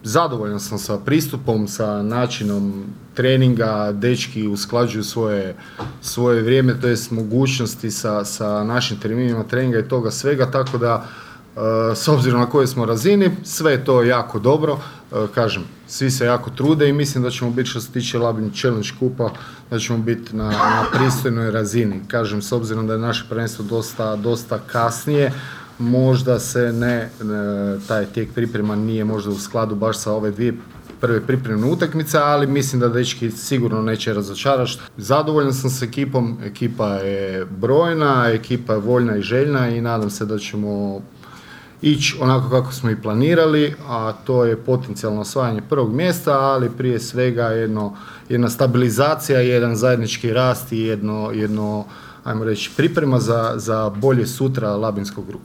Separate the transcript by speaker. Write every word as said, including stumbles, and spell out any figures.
Speaker 1: zadovoljan sam sa pristupom, sa načinom treninga, dečki usklađuju svoje, svoje vrijeme, to jest mogućnosti sa, sa našim terminima treninga i toga svega, tako da s obzirom na kojoj smo razini, sve je to jako dobro, kažem, svi se jako trude i mislim da ćemo biti, što se tiče Labin Challenge kupa, da ćemo biti na, na pristojnoj razini. Kažem, s obzirom da je naše prvenstvo dosta, dosta kasnije, možda se ne, taj tijek priprema nije možda u skladu baš sa ove dvije prve pripremne utakmice, ali mislim da dečki sigurno neće razočarati. Zadovoljan sam s ekipom, ekipa je brojna, ekipa je voljna i željna i nadam se da ćemo ići onako kako smo i planirali, a to je potencijalno osvajanje prvog mjesta, ali prije svega jedno, jedna stabilizacija, jedan zajednički rast i jedno, jedno ajmo reći, priprema za, za bolje sutra labinskog ruku.